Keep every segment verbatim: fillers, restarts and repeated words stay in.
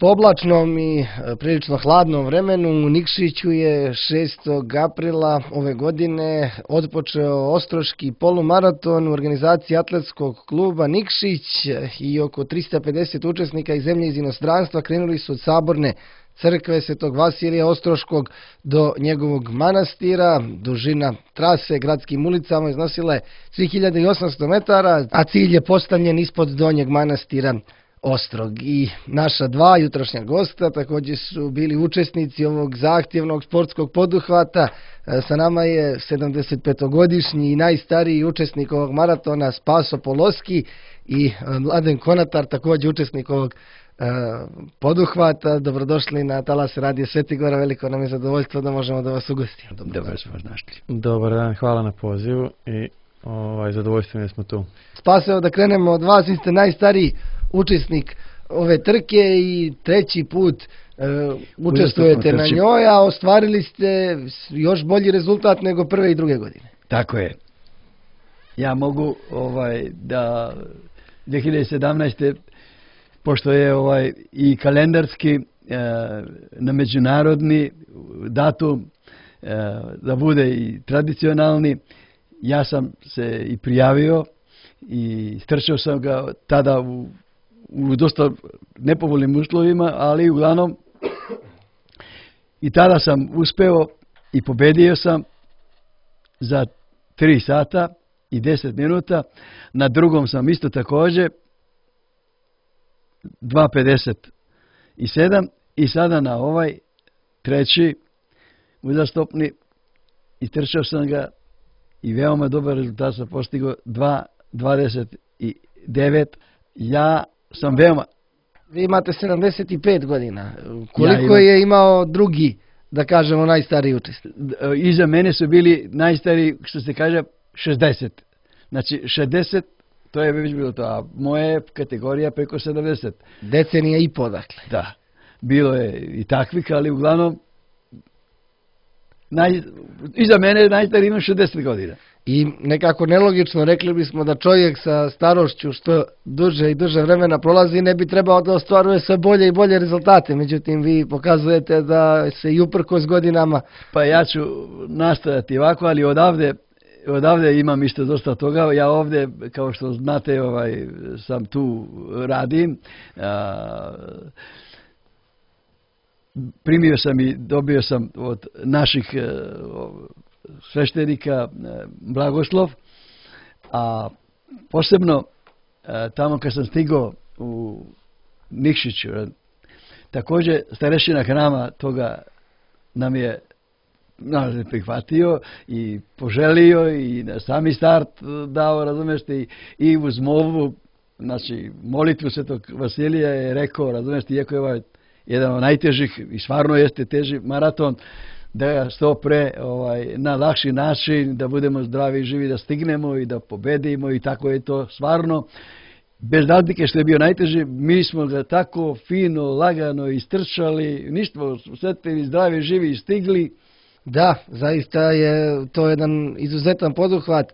Po oblačnom i prilično hladnom vremenu u Nikšiću je šestog aprila ove godine otpočeo Ostroški polumaraton u organizaciji atletskog kluba Nikšić i oko trista pedeset učesnika iz zemlje i iz inostranstva krenuli su od Saborne crkve Svetog Vasilija Ostroškog do njegovog manastira. Dužina trase gradskim ulicama iznosila je tri hiljade osamsto metara, a cilj je postavljen ispod donjeg manastira Ostrog. I naša dva jutrošnja gosta također su bili učesnici ovog zahtjevnog sportskog poduhvata. Sa nama je sedamdesetpetogodišnji i najstariji učesnik ovog maratona Spaso Poloski i Mladen Konatar, također učesnik ovog poduhvata. Dobrodošli na Talas Radio Sveti Gora, veliko nam je zadovoljstvo da možemo da vas ugostimo. Dobar smo našli. Dobar dan, hvala na pozivu i ovaj, zadovoljstvo mi smo tu. Spaso, da krenemo od vas, vi ste najstariji učesnik ove trke i treći put e, učestvujete na njoj, a ostvarili ste još bolji rezultat nego prve i druge godine. Tako je. Ja mogu ovaj da dvije hiljade sedamnaeste pošto je ovaj i kalendarski e, na međunarodni datum e, da bude i tradicionalni, ja sam se i prijavio i strčao sam ga tada u, u dosta nepovoljnim uslovima, ali uglavnom i tada sam uspeo i pobedio sam za tri sata i deset minuta. Na drugom sam isto također dva pedeset sedam i sada na ovaj treći uzastopni istrčao sam ga i veoma dobar rezultat sam postigao dva dvadeset devet. Ja sam veoma... Vi imate sedamdeset pet godina. Koliko ja imam... je imao drugi, da kažemo, najstariji učesnik? Iza mene su bili najstariji, što se kaže, šezdeset. Znači, šezdeset, to je već bilo to, a moja kategorija preko sedamdeset. Decenija i po, dakle. Da. Bilo je i takvih, ali uglavnom, naj... iza mene najstariji ima šezdeset godina. I nekako nelogično rekli bismo da čovjek sa starošću što duže i duže vremena prolazi ne bi trebao da ostvaruje sve bolje i bolje rezultate. Međutim, vi pokazujete da se i uprkos godinama... Pa ja ću nastojati ovako, ali odavde, odavde imam isto dosta toga. Ja ovdje, kao što znate, ovaj, sam tu radim. A, primio sam i dobio sam od naših sveštenika blagoslov, a posebno tamo kad sam stigao u Nikšiću, također starešina hrama toga nam je prihvatio i poželio i na sami start dao, razumiješ, i, i uz molbu, znači molitvu Svetog Vasilija je rekao, razumiješ, iako je ovaj jedan od najtežih i stvarno jeste teži maraton, da ga što pre ovaj, na lakši način, da budemo zdravi i živi, da stignemo i da pobedimo i tako je to stvarno. Bez razlike što je bio najteži, mi smo ga tako fino, lagano istrčali, ništa, sretni, zdravi, živi i stigli. Da, zaista je to jedan izuzetan poduhvat.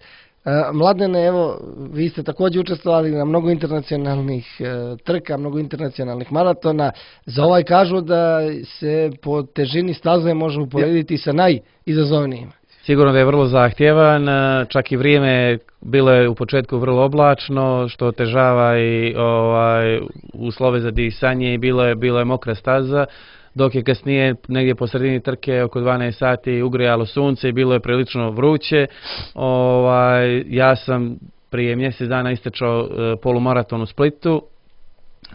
Mladene, evo, vi ste također učestvovali na mnogo internacionalnih trka, mnogo internacionalnih maratona. Za ovaj kažu da se po težini staze može uporediti sa najizazovnijima. Sigurno da je vrlo zahtjevan, čak i vrijeme bilo je u početku vrlo oblačno, što otežava i ovaj, uslove za disanje i bilo je, bilo je mokra staza. Dok je kasnije, negdje po sredini trke, oko dvanaest sati ugrijalo sunce i bilo je prilično vruće. Ovaj, ja sam prije mjesec dana istrčao e, polumaraton u Splitu.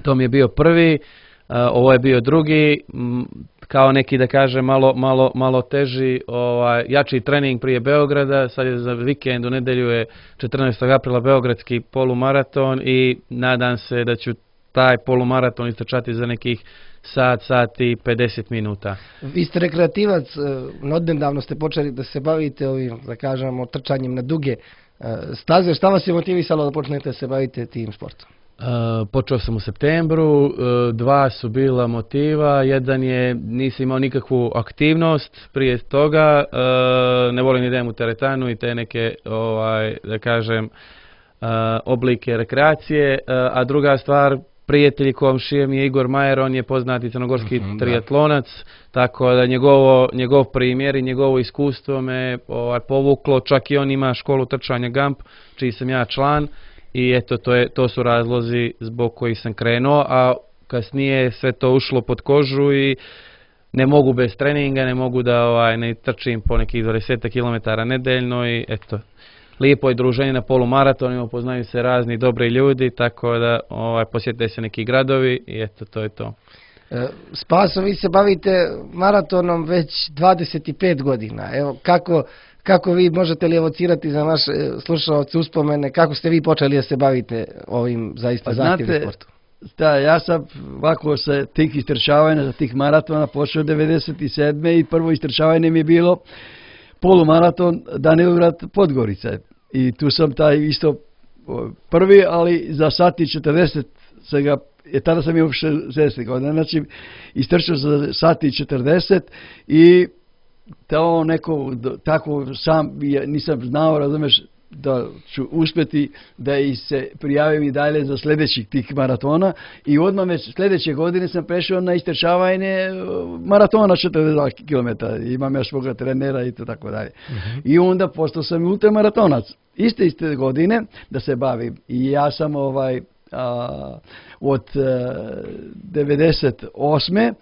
To mi je bio prvi, e, ovo je bio drugi, m, kao neki, da kažem, malo, malo, malo teži, ovaj, jači trening prije Beograda. Sad je za vikend, u nedelju je četrnaestog aprila beogradski polumaraton i nadam se da ću taj polumaraton istrčati za nekih sat, sat i pedeset minuta. Vi ste rekreativac, odnedavno ste počeli da se bavite ovim, da kažemo, trčanjem na duge staze. Šta vas je motivisalo da počnete da se bavite tim sportom? Uh, počeo sam u septembru, uh, dva su bila motiva, jedan je nisam imao nikakvu aktivnost prije toga, uh, ne volim idem u teretanu i te neke, ovaj, da kažem, uh, oblike rekreacije, uh, a druga stvar, prijatelj i komšija mi je Igor Majer, on je poznati crnogorski Mhm, da. triatlonac, tako da njegovo, njegov primjer i njegovo iskustvo me ovaj, povuklo, čak i on ima školu trčanja Gamp, čiji sam ja član, i eto, to, je, to su razlozi zbog kojih sam krenuo, a kasnije sve to ušlo pod kožu i ne mogu bez treninga, ne mogu da ovaj, ne trčim po nekih dvadeset kilometara nedeljno i eto, lijepo je druženje na polumaratonima, poznaju se razni dobri ljudi, tako da ovaj, posjete se neki gradovi i eto, to je to. E, Spaso, vi se bavite maratonom već dvadeset pet godina. Evo, kako, kako vi možete li evocirati za naše slušalce uspomene, kako ste vi počeli da se bavite ovim zaista Pa zahtjevnim znate, sportom? Da, ja sam ovako sa tih istrčavanja, za tih maratona počeo devedeset sedme i prvo istrčavanje mi je bilo polumaraton Danilograd Podgorica. I tu sam taj isto prvi, ali za sat i četrdeset se ga, je, tada sam imao šezdeset godina, znači istrčao za sat i četrdeset i to neko, tako sam, ja nisam znao, razumeš, da ću uspjeti da i se prijavim i dalje za sljedećih tih maratona i odmah već sljedeće godine sam prešao na istrčavanje maratona četrdeset dva kilometra. Imam ja svoga trenera i to tako dalje. Uh-huh. I onda postao sam ultramaratonac. Iste iste godine da se bavim. I ja sam ovaj a, od a, devedeset osme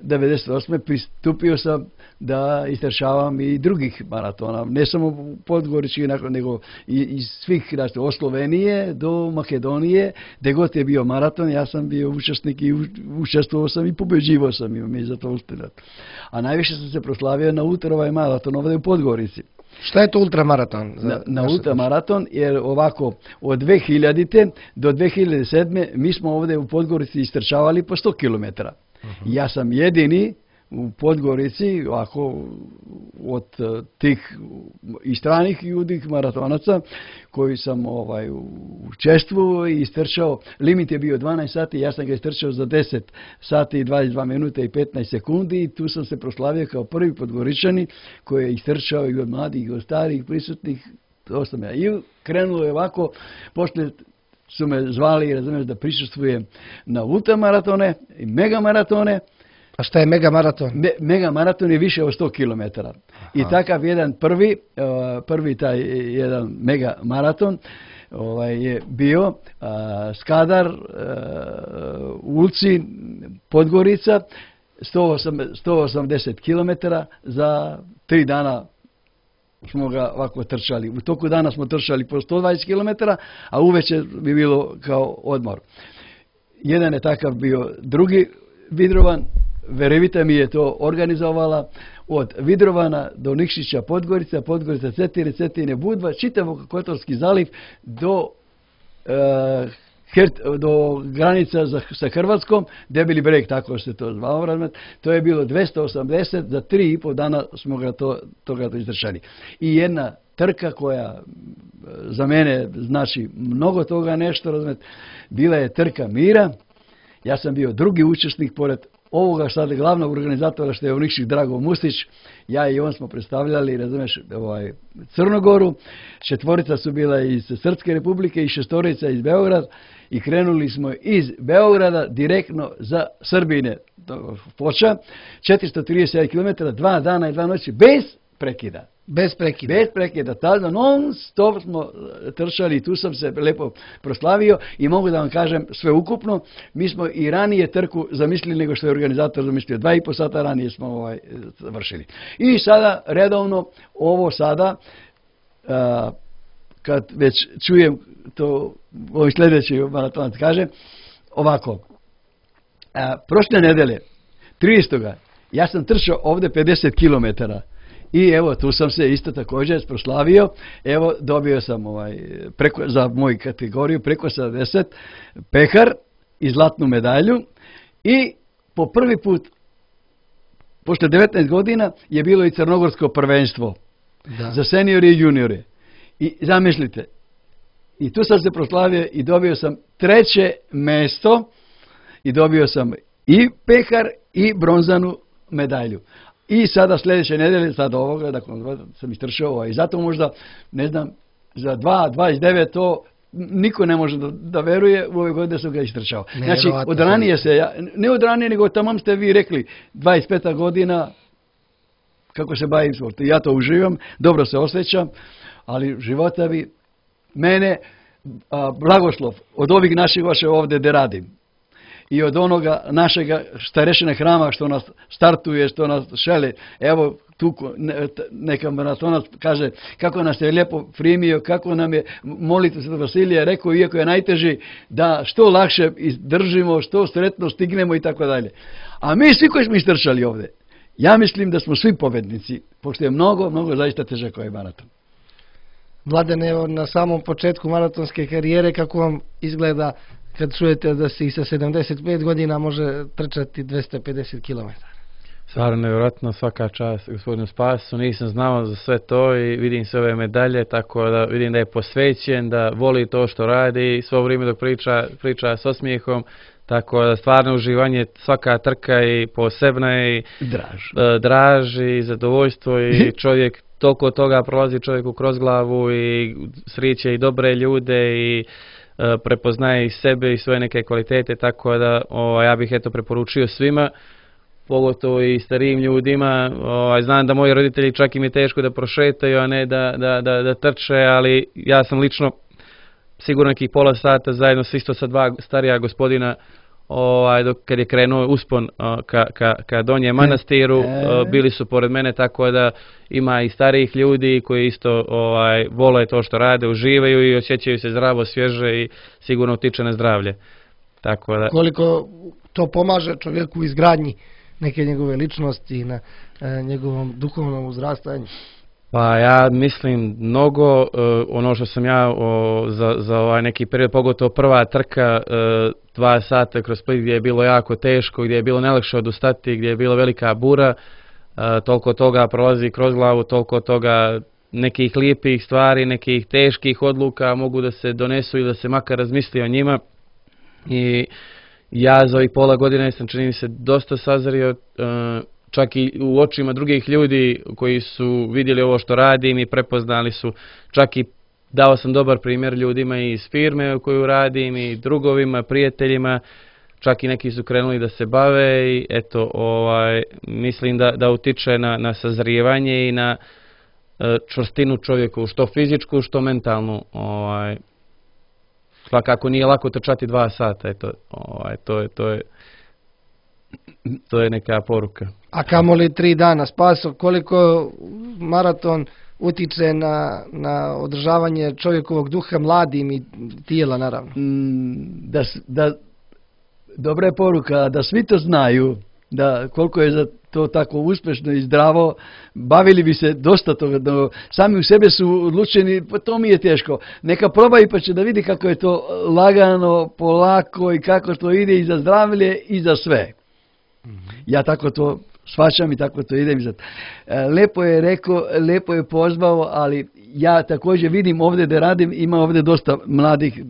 devedeset osme pristupio sam da istrčavam i drugih maratona, ne samo podgoričkih, nego i iz svih, znači, od Slovenije do Makedonije, gdje god je bio maraton, ja sam bio učesnik i učestvovao sam i pobeđivao sam i mi za to uspjeli. A najviše sam se proslavio na ultra maraton ovdje u Podgorici. Šta je to ultramaraton? Na, na ultramaraton, jer ovako od dve hiljadite do dve hiljade sedme mi smo ovdje u Podgorici istrčavali po sto kilometara. Uh-huh. Ja sam jedini u Podgorici, ovako, od tih i stranih ljudi maratonaca koji sam ovaj, učestvovao i istrčao. Limit je bio dvanaest sati, ja sam ga istrčao za deset sati i dvadeset dva minuta i petnaest sekundi i tu sam se proslavio kao prvi Podgoričani koji je istrčao i od mladih i od starih prisutnih. To sam ja. I krenulo je ovako, poslije su me zvali, razumiješ, da prisustvujem na ultramaratone i megamaratone. A šta je megamaraton? Me, megamaraton je više od sto kilometara. I takav jedan prvi, uh, prvi taj jedan megamaraton ovaj, je bio uh, Skadar, uh, Ulci, Podgorica, sto osamdeset kilometara za tri dana smo ga ovako trčali. U toku dana smo trčali po sto dvadeset kilometara, a uveče bi bilo kao odmor. Jedan je takav bio, drugi Vidrovan, Verevita mi je to organizovala od Vidrovana do Nikšića Podgorica, Podgorica Cetine, Cetine Budva, čitavog Kotorski zaliv do, e, Hert, do granica za, sa Hrvatskom, Debeli breg, tako se to zvao. To je bilo dvjesto osamdeset, za tri i pol dana smo ga to, toga to izdržali. I jedna trka koja za mene znači mnogo toga nešto, razumijete, bila je trka mira. Ja sam bio drugi učesnik pored ovoga sada glavnog organizatora što je Nikšić Drago Mustić. Ja i on smo predstavljali, razumiješ, ovaj, Crnogoru. Četvorica su bila iz Srpske republike i šestorica iz Beograda i krenuli smo iz Beograda direktno za Srbine. Foča, četiristo trideset kilometara, dva dana i dva noći bez prekida. Bez prekida. Bez prekida. Tada non stop smo trčali i tu sam se lepo proslavio i mogu da vam kažem sve ukupno. Mi smo i ranije trku zamislili nego što je organizator zamislio. Dva i po sata ranije smo ovaj, završili. I sada redovno ovo sada a, kad već čujem to ovaj sljedeći maratonac kaže ovako. A, prošle nedelje tridesetog ja sam trčao ovdje pedeset kilometara. I evo, tu sam se isto također proslavio. Evo, dobio sam ovaj, preko, za moju kategoriju preko sedamdeset pehar i zlatnu medalju. I po prvi put, pošto devetnaest godina, je bilo i crnogorsko prvenstvo da. Za seniore i juniore. I zamislite, i tu sam se proslavio i dobio sam treće mesto i dobio sam i pehar i bronzanu medalju. I sada sljedeće nedelje, sada ovoga, dakle, sam istršao, i zato možda, ne znam, za dva dvadeset devet to niko ne može da, da veruje, u ove godine sam ga istrčao. Znači, od ranije se, ja, ne od ranije, nego tamam ste vi rekli, dvadeset peta godina, kako se bavim sportom. Ja to uživam, dobro se osjećam, ali života bi mene, a, blagoslov od ovih naših vaše ovdje da radim i od onoga našega starešine hrama što nas startuje, što nas šele. Evo, tu neka maratonac kaže kako nas je lijepo primio, kako nam je molitva Svetog Vasilija rekao, iako je najteži, da što lakše izdržimo, što sretno stignemo i tako dalje. A mi svi koji smo istrčali ovdje, ja mislim da smo svi pobednici, pošto je mnogo, mnogo zaista težak ovaj maraton. Mladene, evo na samom početku maratonske karijere, kako vam izgleda kad čujete da se i sa sedamdeset pet godina može trčati dvesta pedeset kilometara? Stvarno nevjerojatno, svaka čast gospodinu Spasu, nisam znao za sve to i vidim sve ove medalje, tako da vidim da je posvećen, da voli to što radi, svo vrijeme dok priča, priča s osmijehom, tako da stvarno uživanje, svaka trka i posebna i draž, draž i zadovoljstvo i čovjek toliko toga prolazi čovjeku kroz glavu i sreće i dobre ljude i prepoznaje i sebe i svoje neke kvalitete, tako da o, ja bih eto preporučio svima, pogotovo i starijim ljudima. O, znam da moji roditelji čak im je teško da prošetaju, a ne da, da, da, da trče, ali ja sam lično sigurno nekih pola sata zajedno s isto sa dva starija gospodina, ovaj, dok, kad je krenuo uspon o, ka, ka, ka Donjem Manastiru, o, bili su pored mene, tako da ima i starijih ljudi koji isto ovaj, vole to što rade, uživaju i osjećaju se zdravo, svježe i sigurno utiče na zdravlje. Tako da... Koliko to pomaže čovjeku u izgradnji neke njegove ličnosti i na e, njegovom duhovnom uzrastanju? Pa ja mislim mnogo, uh, ono što sam ja o, za, za ovaj neki period, pogotovo prva trka, uh, dva sata kroz Split gdje je bilo jako teško, gdje je bilo nelakše odustati, gdje je bila velika bura, uh, toliko toga prolazi kroz glavu, toliko toga nekih lijepih stvari, nekih teških odluka mogu da se donesu i da se makar razmisli o njima. I ja za ovih pola godine sam, čini mi se, dosta sazrio, uh, čak i u očima drugih ljudi koji su vidjeli ovo što radim i prepoznali su, čak i dao sam dobar primjer ljudima iz firme u koju radim i drugovima, prijateljima, čak i neki su krenuli da se bave i eto, ovaj, mislim da, da utiče na, na sazrijevanje i na e, čvrstinu čovjeku, što fizičku, što mentalnu. Ovaj, svakako nije lako trčati dva sata, eto, ovaj, to je, to je, to je neka poruka. A kamoli tri dana, Spaso, koliko maraton utiče na, na održavanje čovjekovog duha mladim i tijela, naravno? Mm, da, da, dobra je poruka, da svi to znaju, da koliko je za to tako uspješno i zdravo, bavili bi se dosta toga, da sami u sebe su odlučeni, pa to mi je teško. Neka probaju pa će da vidi kako je to lagano, polako i kako to ide i za zdravlje i za sve. Ja tako to shvaćam i tako to idem. Lepo je rekao, lepo je pozvao, ali ja također vidim ovdje da radim, ima ovdje dosta mladih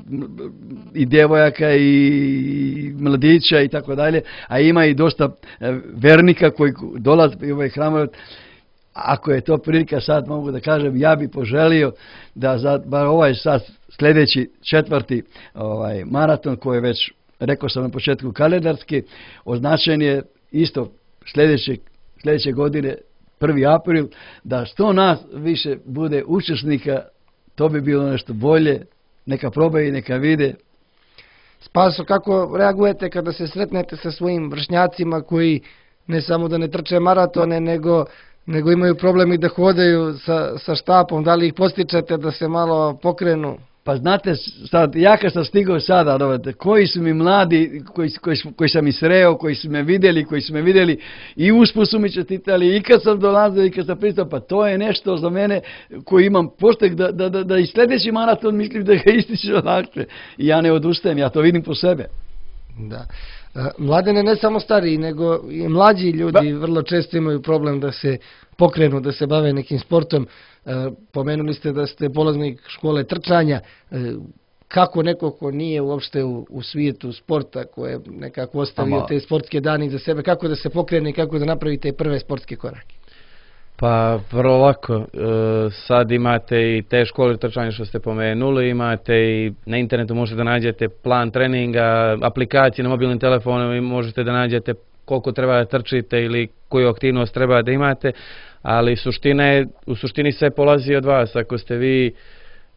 i djevojaka i mladića i tako dalje, a ima i dosta vernika koji dolaze u ovaj hram. Ako je to prilika, sad mogu da kažem, ja bi poželio da za bar ovaj sad sljedeći četvrti ovaj maraton koji je već, rekao sam na početku, kalendarski, označen je isto sljedeće, sljedeće godine, prvi april, da što nas više bude učesnika, to bi bilo nešto bolje, neka probaju, neka vide. Spaso, kako reagujete kada se sretnete sa svojim vršnjacima koji ne samo da ne trče maratone, nego, nego imaju problem i da hodaju sa, sa štapom, da li ih postičete da se malo pokrenu? Pa znate, sad, ja kad sam stigao sada, dovete, koji su mi mladi, koji, koji, koji sam ih sreo, koji su me vidjeli, koji su me vidjeli i usput su mi čestitali i kad sam dolazio i kad sam pristao, pa to je nešto za mene koji imam postek da, da, da, da i sljedeći maraton mislim da ga ističe lakše. I ja ne odustajem, ja to vidim po sebe. Da. Mladene, ne samo stariji, nego i mlađi ljudi ba. vrlo često imaju problem da se pokrenu, da se bave nekim sportom. E, pomenuli ste da ste polaznik škole trčanja. E, kako neko ko nije uopšte u, u svijetu sporta, ko je nekako ostavio Ama. te sportske dane za sebe, kako da se pokrene i kako da napravi te prve sportske korake? Pa vrlo lako, e, sad imate i te škole trčanja što ste pomenuli, imate i na internetu možete da nađete plan treninga, aplikacije na mobilnim telefonom i možete da nađete koliko treba da trčite ili koju aktivnost treba da imate, ali suština je, u suštini sve polazi od vas. Ako ste vi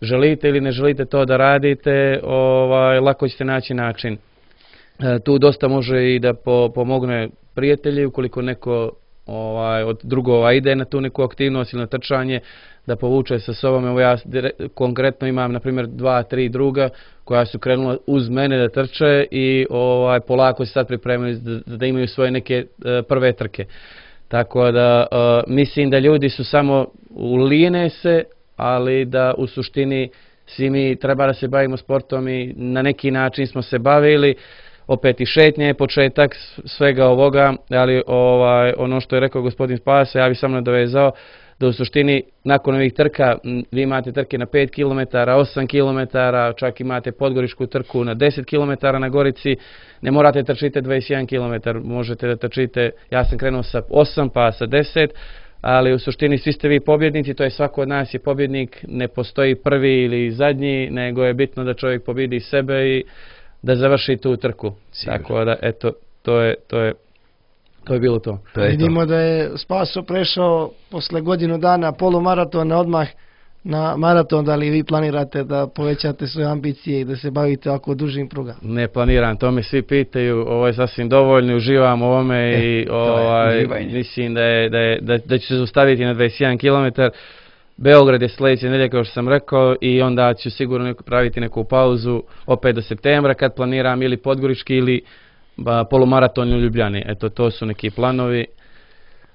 želite ili ne želite to da radite, ovaj, lako ćete naći način. E, tu dosta može i da po, pomogne prijatelji, ukoliko neko ovaj, od drugova ide na tu neku aktivnost ili na trčanje, da povuče sa sobom. Evo ja konkretno imam, na primjer, dva, tri druga koja su krenula uz mene da trče i ovaj, polako se sad pripremaju da, da imaju svoje neke uh, prve trke. Tako da uh, mislim da ljudi su samo ulijene se, ali da u suštini svi mi treba da se bavimo sportom i na neki način smo se bavili. Opet i šetnje je početak svega ovoga, ali ovaj, ono što je rekao gospodin Spasa, ja bih samo nadovezao da u suštini nakon ovih trka vi imate trke na pet kilometara, osam kilometara, čak imate podgoričku trku na deset kilometara na Gorici, ne morate trčite dvadeset jedan kilometar, možete da trčite, ja sam krenuo sa osam pa sa deset, ali u suštini svi ste vi pobjednici, to je svako od nas je pobjednik, ne postoji prvi ili zadnji, nego je bitno da čovjek pobjedi sebe i da završi tu trku. Sigur. Tako da, eto, to je, to je, to je bilo to. to je Vidimo to. Da je Spaso prešao posle godinu dana polumaratona odmah na maraton. Da li vi planirate da povećate svoje ambicije i da se bavite ovako dužim prugama? Ne planiram, to me svi pitaju, ovo je sasvim dovoljno, uživam u ovome e, i ovaj, mislim da, je, da, je, da, da ću se zaustaviti na dvadeset jedan kilometar. Beograd je sljedeće nedelje, kao što sam rekao, i onda ću sigurno praviti neku pauzu opet do septembra kad planiram ili podgorički ili ba, polumaraton u Ljubljani. Eto, to su neki planovi,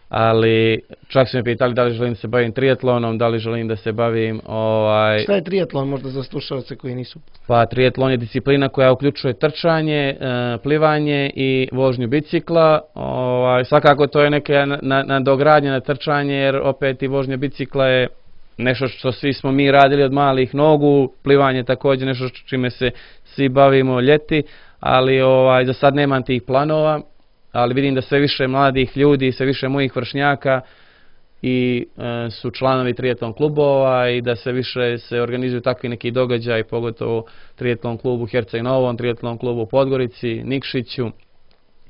ali čak su me pitali da li želim da se bavim triatlonom, da li želim da se bavim... Ovaj... Šta je triatlon možda za slušalce koji nisu? Pa triatlon je disciplina koja uključuje trčanje, plivanje i vožnju bicikla. Ovaj, svakako to je neka nadogradnja na trčanje, jer opet i vožnja bicikla je nešto što svi smo mi radili od malih nogu, plivanje također nešto čime se svi bavimo ljeti, ali ovaj, za sad nemam tih planova, ali vidim da sve više mladih ljudi, sve više mojih vršnjaka i e, su članovi triatlon klubova i da sve više se organizuju takvi neki događaj, pogotovo triatlon klubu Herceg Novom, triatlon klubu Podgorici, Nikšiću,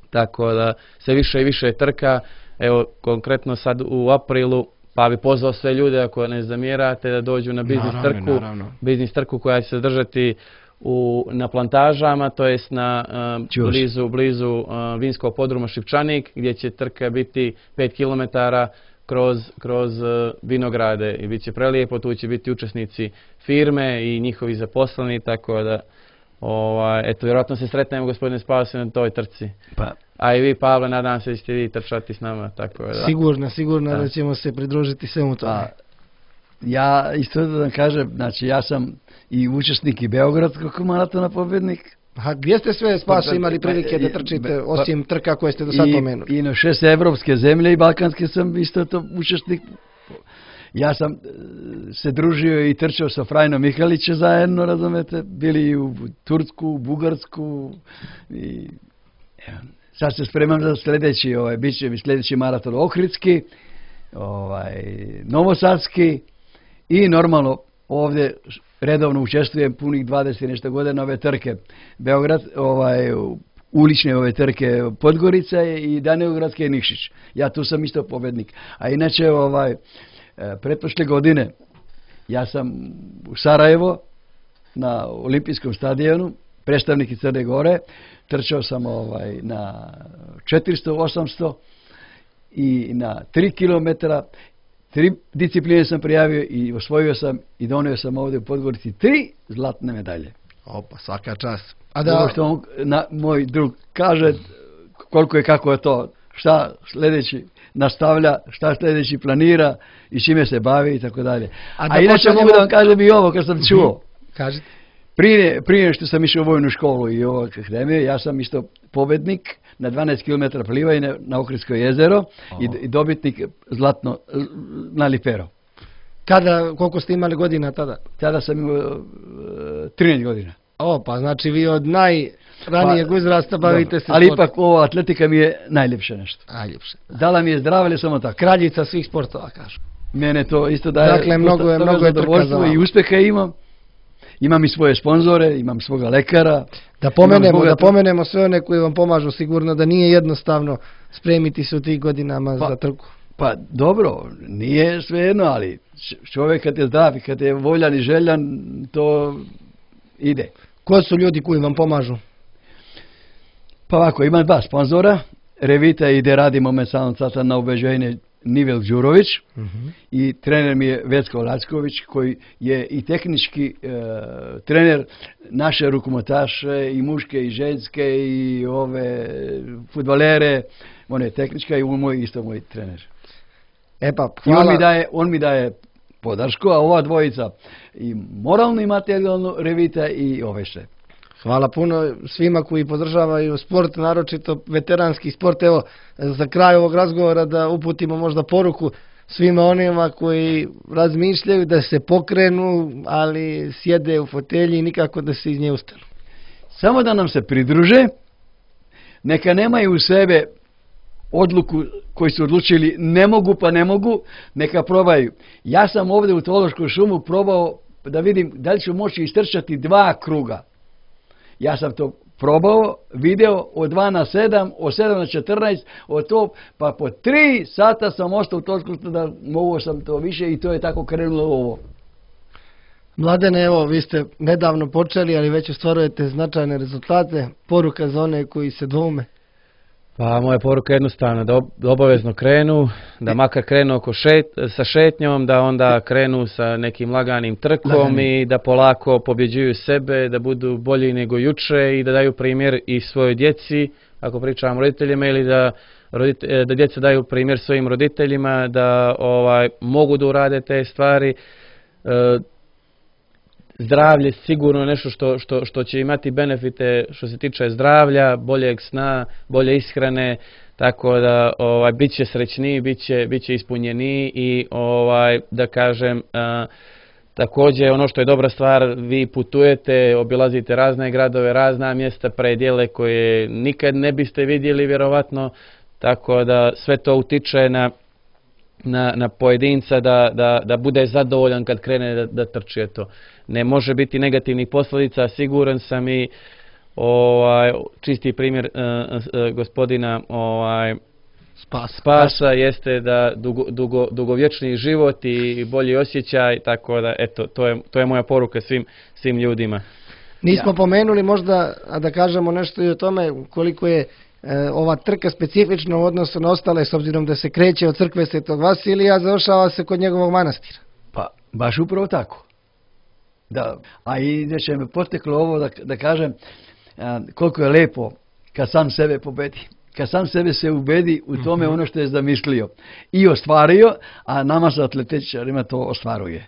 tako da se više i više trka. Evo konkretno sad u aprilu, pa bi pozvao sve ljude ako ne zamjerate da dođu na biznis naravno, trku, naravno. biznis trku koja će se držati u, na plantažama, to jest na uh, blizu, blizu uh, vinskog podruma Šipčanik, gdje će trka biti pet kilometara kroz, kroz uh, vinograde i bit će prelijepo, tu će biti učesnici firme i njihovi zaposleni, tako da ovaj, eto, vjerojatno se sretnemo gospodine Spasi na toj trci. Pa. A i vi, Pavle, nadam se da ćete vi trčati s nama. Tako da. Sigurno, sigurno da. da ćemo se pridružiti svemu tome. A, ja isto da vam kažem, znači ja sam i učesnik i Beogradskog maratona pobjednik. A gdje ste sve Spaso imali prilike da trčite, osim trka koje ste do sad pomenuli? I na šest evropske zemlje i balkanske sam isto to učesnik. Ja sam se družio i trčao sa Frajnom Mihalićem zajedno, razumete, bili u Tursku, u Bugarsku i evo. Sad se spremam za sljedeći, ovaj, bit će mi sljedeći maraton Ohridski, ovaj, Novosadski i normalno ovdje redovno učestvujem punih dvadeset nešto godina ove trke. Beograd, ovaj, ulične ove trke Podgorica i Danilogradske i Nikšić. Ja tu sam isto pobjednik. A inače, ovaj, pretprošle godine ja sam u Sarajevo na olimpijskom stadionu, predstavnik iz Crne Gore, trčao sam ovaj, na četiristo, osamsto i na tri kilometra. Tri discipline sam prijavio i osvojio sam i donio sam ovdje u Podgorici tri zlatne medalje. Opa, svaka čast. A da... Ovo što on, na, moj drug kaže koliko je kako je to, šta sljedeći nastavlja, šta sljedeći planira i čime se bavi i tako dalje. A, A inače mogu da vam kažem i ovo kad sam čuo. Kažete. Prije, prije što sam išao u vojnu školu i ovog akademije, ja sam isto pobjednik na dvanaest kilometara plivanja na Ohridsko jezero i, i dobitnik zlatno na Lipero. Kada, koliko ste imali godina tada? Tada sam imao uh, trinaest godina. O, pa znači vi od najranijeg Pa, uzrasta bavite se ali sportom. ipak ova atletika mi je najljepše nešto. Najljepše. Dala mi je zdravlje samo tako. Kraljica svih sportova, kažu. Mene to isto daje Dakle, mnogo je- dosta mnogo je trka zadovoljstvo za vama. i uspeha imam. Imam i svoje sponzore, imam svoga lekara. Da pomenemo, Imam da bogato- pomenemo sve one koji vam pomažu, sigurno da nije jednostavno spremiti se u tih godinama Pa- za trku. Pa dobro, nije svejedno, ali č- čovjek kad je zdrav i kad je voljan i željan, to ide. Ko su ljudi koji vam pomažu? Pa ovako, imam dva sponzora, Revita i gdje radimo me sam sada na ubeđenje Nivel Đurović i trener mi je Vecko Lacković koji je i tehnički e, trener naše rukometaše i muške i ženske i ove fudbalere, on je tehnička i on moj isto moj trener. E pa, I on hvala. mi daje, on mi daje podršku, a ova dvojica i moralno i materijalno Revita i ove sve. Hvala puno svima koji podržavaju sport, naročito veteranski sport. Evo, za kraj ovog razgovora da uputimo možda poruku svima onima koji razmišljaju da se pokrenu, ali sjede u fotelji i nikako da se iz nje ustanu. Samo da nam se pridruže, neka nemaju u sebe odluku koji su odlučili ne mogu pa ne mogu, neka probaju. Ja sam ovdje u Tološkoj šumu probao da vidim da li ću moći istrčati dva kruga. Ja sam to probao, video od dva na sedam, od sedam na četrnaest, od to, pa po tri sata sam ostao u Tološkoj da mogu sam to više i to je tako krenulo ovo. Mladene, evo, vi ste nedavno počeli, ali već ostvarujete značajne rezultate. Poruka za one koji se dvoume. Pa moja poruka je jednostavna, da ob- da obavezno krenu, da makar krenu oko šet, sa šetnjom, da onda krenu sa nekim laganim trkom Laganim. i da polako pobjeđuju sebe, da budu bolji nego juče i da daju primjer i svojoj djeci, ako pričamo roditeljima, ili da, rodite- da djeca daju primjer svojim roditeljima, da ovaj mogu da urade te stvari. E, Zdravlje sigurno je nešto što, što, što će imati benefite što se tiče zdravlja, boljeg sna, bolje ishrane, tako da ovaj bit će srećniji, bit će, bit će ispunjeniji i ovaj da kažem a, također ono što je dobra stvar, vi putujete, obilazite razne gradove, razna mjesta, predjele koje nikad ne biste vidjeli vjerovatno, tako da sve to utiče na na, na pojedinca da, da, da bude zadovoljan kad krene da, da trči to. Ne može biti negativnih posljedica, siguran sam i ovaj, čisti primjer uh, uh, gospodina ovaj, Spas. Spasa jeste da dugo, dugo, dugovječni život i bolji osjećaj, tako da eto, to je, to je moja poruka svim, svim ljudima. Nismo Ja. pomenuli možda, a da kažemo nešto i o tome koliko je e, ova trka specifična u odnosu na ostale, s obzirom da se kreće od crkve Svetog Vasilija, a završava se kod njegovog manastira. Pa, baš upravo tako. Da, a i da će me poteklo ovo da, da kažem a, koliko je lepo kad sam sebe pobedi. Kad sam sebe se ubedi u tome ono što je zamislio i ostvario, a nama sa atletičarima to ostvaruje.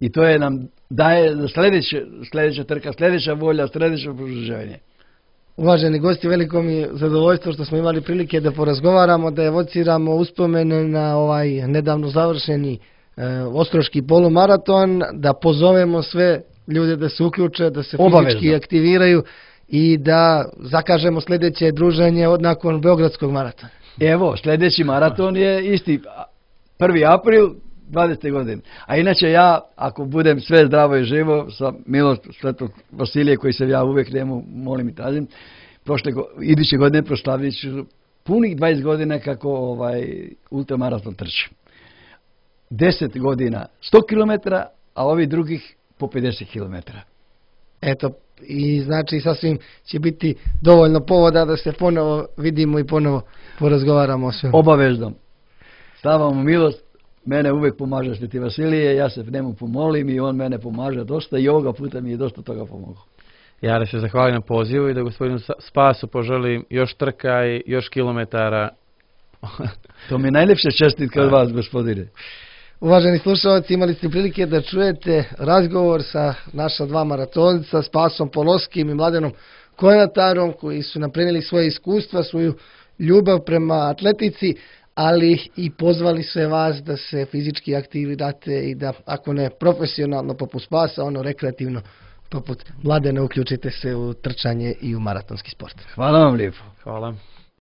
I to je nam daje za sljedeće, sljedeća trka, sljedeća volja, sljedeće produženje. Uvaženi gosti, veliko mi je zadovoljstvo što smo imali prilike da porazgovaramo, da evociramo uspomene na ovaj nedavno završeni e, Ostroški polumaraton, da pozovemo sve ljude da se uključe, da se fizički Obavezno. aktiviraju i da zakažemo sljedeće druženje od nakon Beogradskog maratona. Evo, sljedeći maraton je isti, prvi april dvadesete godine. A inače ja, ako budem sve zdravo i živo, sa milost Svetog Vasilije, koji se ja uvijek njemu molim i tražim, prošle, go- iduće godine proslavit ću punih dvadeset godina kako ovaj ultramaraton trčim. deset godina sto kilometara, a ovi drugih po pedeset kilometara. Eto, i znači sasvim će biti dovoljno povoda da se ponovo vidimo i ponovo porazgovaramo o svemu. Obavezno. Stavam mu milost, mene uvijek pomaže Sveti Vasilije, ja se njemu pomolim i on mene pomaže dosta i ovoga puta mi je dosta toga pomogao. Ja da se zahvalim na pozivu i da gospodinu Sa- Spasu poželim još trka i još kilometara. To mi je najljepša čestitka od vas, gospodine. Uvaženi slušalci, imali ste prilike da čujete razgovor sa naša dva maratonca, Spasom Poloskim i Mladenom Konatarom, koji su nam prenijeli svoje iskustva, svoju ljubav prema atletici, ali i pozvali sve vas da se fizički aktivirate i da, ako ne profesionalno poput Spasa, ono rekreativno poput Mladena uključite se u trčanje i u maratonski sport. Hvala vam lijepo. Hvala.